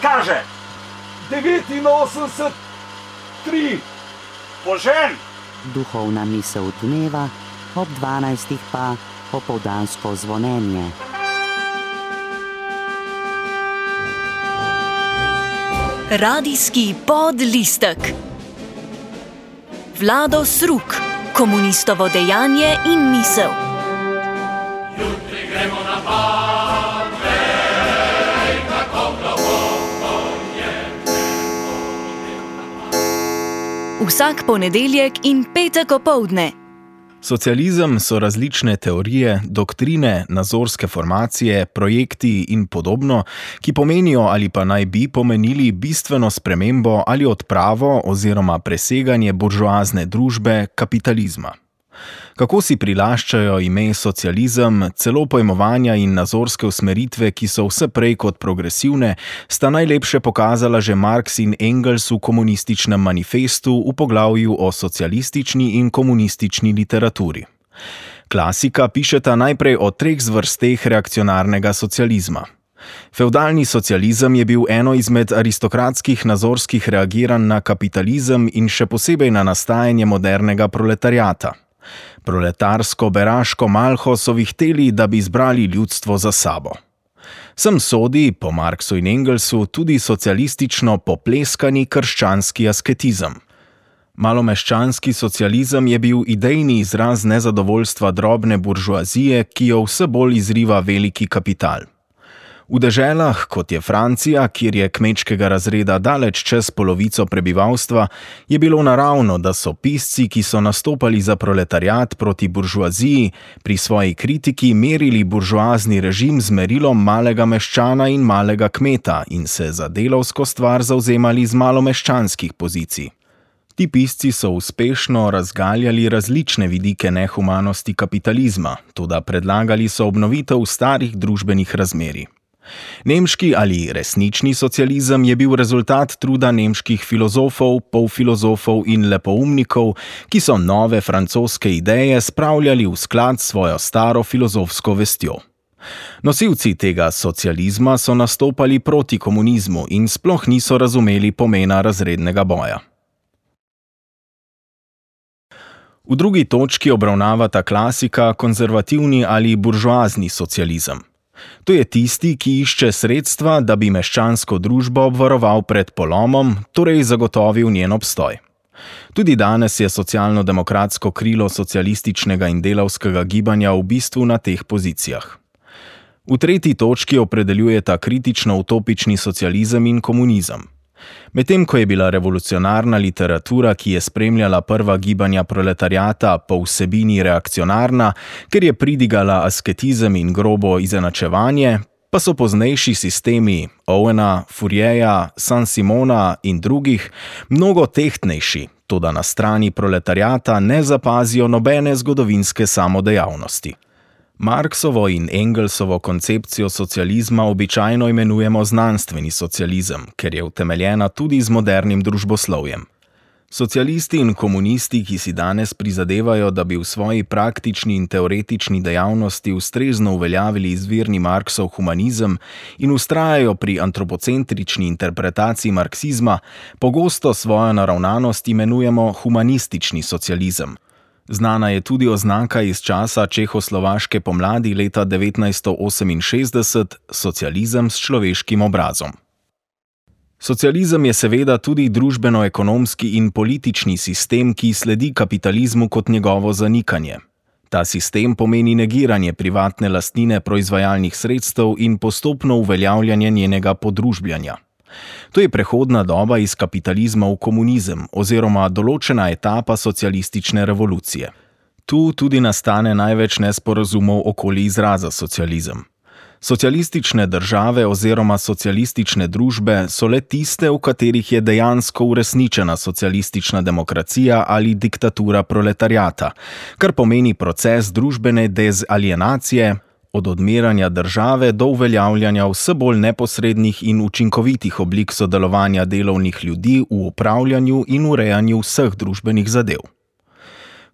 kaže? 89,3. Požen! Duhovna misel dneva, ob 12. pa popoldansko zvonjenje. Radijski podlistek. Vlado Sruk, komunistovo dejanje in misel. Jutri gremo na Pave, kako globoko je Vsak ponedeljek in petek opoldne. Socializem so različne teorije, doktrine, nazorske formacije, projekti in podobno, ki pomenijo ali pa naj bi pomenili bistveno spremembo ali odpravo oziroma preseganje buržoazne družbe kapitalizma. Kako si prilaščajo ime socializem, celo pojmovanja in nazorske usmeritve, ki so vse prej kot progresivne, sta najlepše pokazala že Marx in Engels v komunističnem manifestu v poglavju o socialistični in komunistični literaturi. Klasika pišeta najprej o 3 zvrsteh reakcionarnega socializma. Fevdalni socializem je bil eno izmed aristokratskih nazorskih reagiranj na kapitalizem in še posebej na nastajanje modernega proletariata. Proletarsko-beraško malho so vihteli, da bi izbrali ljudstvo za sabo. Sem sodi, po Marxu in Engelsu, tudi socialistično popleskani krščanski asketizem. Malomeščanski socializem je bil idejni izraz nezadovoljstva drobne buržoazije, ki jo vse bolj izriva veliki kapital. V deželah, kot je Francija, kjer je kmečkega razreda daleč čez polovico prebivalstva, je bilo naravno, da so pisci, ki so nastopali za proletariat proti buržoaziji, pri svoji kritiki merili buržoazni režim z merilom malega meščana in malega kmeta in se za delavsko stvar zavzemali z malomeščanskih pozicij. Ti pisci so uspešno razgaljali različne vidike nehumanosti kapitalizma, toda predlagali so obnovitev starih družbenih razmerij. Nemški ali resnični socializem je bil rezultat truda nemških filozofov, polfilozofov in lepoumnikov, ki so nove francoske ideje spravljali v sklad s svojo staro filozofsko vestjo. Nosilci tega socializma so nastopali proti komunizmu in sploh niso razumeli pomena razrednega boja. V drugi točki obravnavata klasika konzervativni ali buržoazni socializem. To je tisti, ki išče sredstva, da bi meščansko družbo obvaroval pred polomom, torej zagotovil njen obstoj. Tudi danes je socialno-demokratsko krilo socialističnega in delavskega gibanja v bistvu na teh pozicijah. V tretji točki opredeljujeta kritično-utopični socializem in komunizem. Medtem ko je bila revolucionarna literatura, ki je spremljala prva gibanja proletariata, po vsebini reakcionarna, ker je pridigala asketizem in grobo izenačevanje, pa so poznejši sistemi Owena, Fourierja, Saint-Simona in drugih mnogo tehtnejši, toda na strani proletariata ne zapazijo nobene zgodovinske samodejavnosti. Marxovo in Engelsovo koncepcijo socializma običajno imenujemo znanstveni socializem, ker je utemeljena tudi z modernim družboslovjem. Socialisti in komunisti, ki si danes prizadevajo, da bi v svoji praktični in teoretični dejavnosti ustrezno uveljavili izvirni Marksov humanizem in vztrajajo pri antropocentrični interpretaciji marksizma, pogosto svojo naravnanost imenujemo humanistični socializem. Znana je tudi oznaka iz časa čehoslovaške pomladi leta 1968, socializem s človeškim obrazom. Socializem je seveda tudi družbeno-ekonomski in politični sistem, ki sledi kapitalizmu kot njegovo zanikanje. Ta sistem pomeni negiranje privatne lastnine proizvajalnih sredstev in postopno uveljavljanje njenega podružbljanja. To je prehodna doba iz kapitalizma v komunizem oziroma določena etapa socialistične revolucije. Tu tudi nastane največ nesporazumov okoli izraza socializem. Socialistične države oziroma socialistične družbe so le tiste, v katerih je dejansko uresničena socialistična demokracija ali diktatura proletariata, kar pomeni proces družbene dezalienacije, od odmeranja države do uveljavljanja vse bolj neposrednih in učinkovitih oblik sodelovanja delovnih ljudi v upravljanju in urejanju vseh družbenih zadev.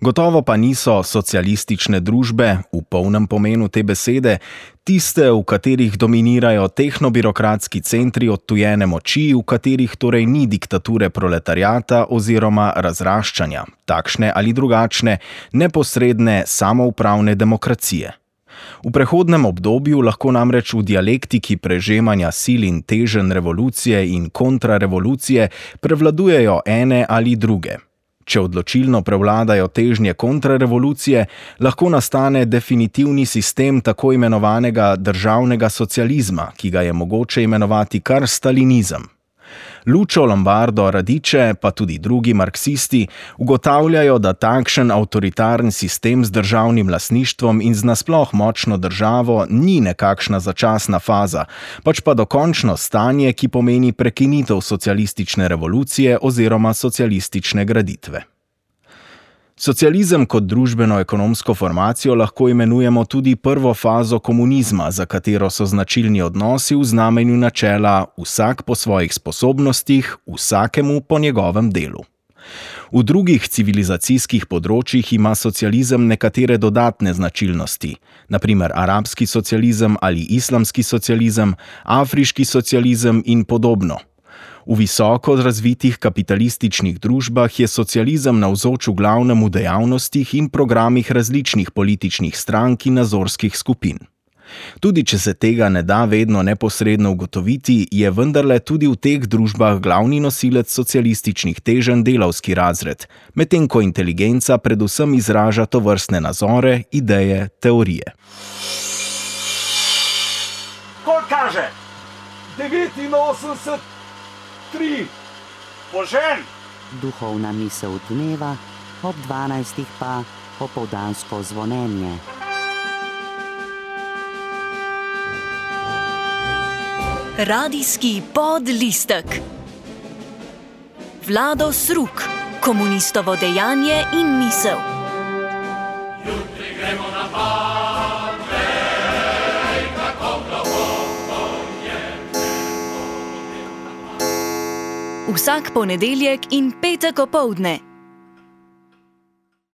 Gotovo pa niso socialistične družbe, v polnem pomenu te besede, tiste, v katerih dominirajo tehnobirokratski centri odtujene moči, v katerih torej ni diktature proletariata oziroma razraščanja, takšne ali drugačne, neposredne samoupravne demokracije. V prehodnem obdobju lahko namreč v dialektiki prežemanja sil in teženj revolucije in kontrarevolucije prevladujejo ene ali druge. Če odločilno prevladajo težnje kontrarevolucije, lahko nastane definitivni sistem tako imenovanega državnega socializma, ki ga je mogoče imenovati kar stalinizem. Lucio Lombardo Radice, pa tudi drugi marksisti, ugotavljajo, da takšen avtoritarni sistem z državnim lastništvom in z nasploh močno državo ni nekakšna začasna faza, pač pa dokončno stanje, ki pomeni prekinitev socialistične revolucije oziroma socialistične graditve. Socializem kot družbeno-ekonomsko formacijo lahko imenujemo tudi prvo fazo komunizma, za katero so značilni odnosi v znamenju načela vsak po svojih sposobnostih, vsakemu po njegovem delu. V drugih civilizacijskih področjih ima socializem nekatere dodatne značilnosti, na primer arabski socializem ali islamski socializem, afriški socializem in podobno. V visoko razvitih kapitalističnih družbah je socializem navzoč v glavnem v dejavnostih in programih različnih političnih strank in nazorskih skupin. Tudi če se tega ne da vedno neposredno ugotoviti, je vendarle tudi v teh družbah glavni nosilec socialističnih teženj delavski razred, medtem ko inteligenca predvsem izraža tovrstne nazore, ideje, teorije. Ko kaže 89 3. Požen! Duhovna misel dneva, ob 12. pa popoldansko zvonjenje. Radijski podlistek. Vlado Sruk, komunistovo dejanje in misel. Jutri gremo na pade, kako globoko je Vsak ponedeljek in petek opoldne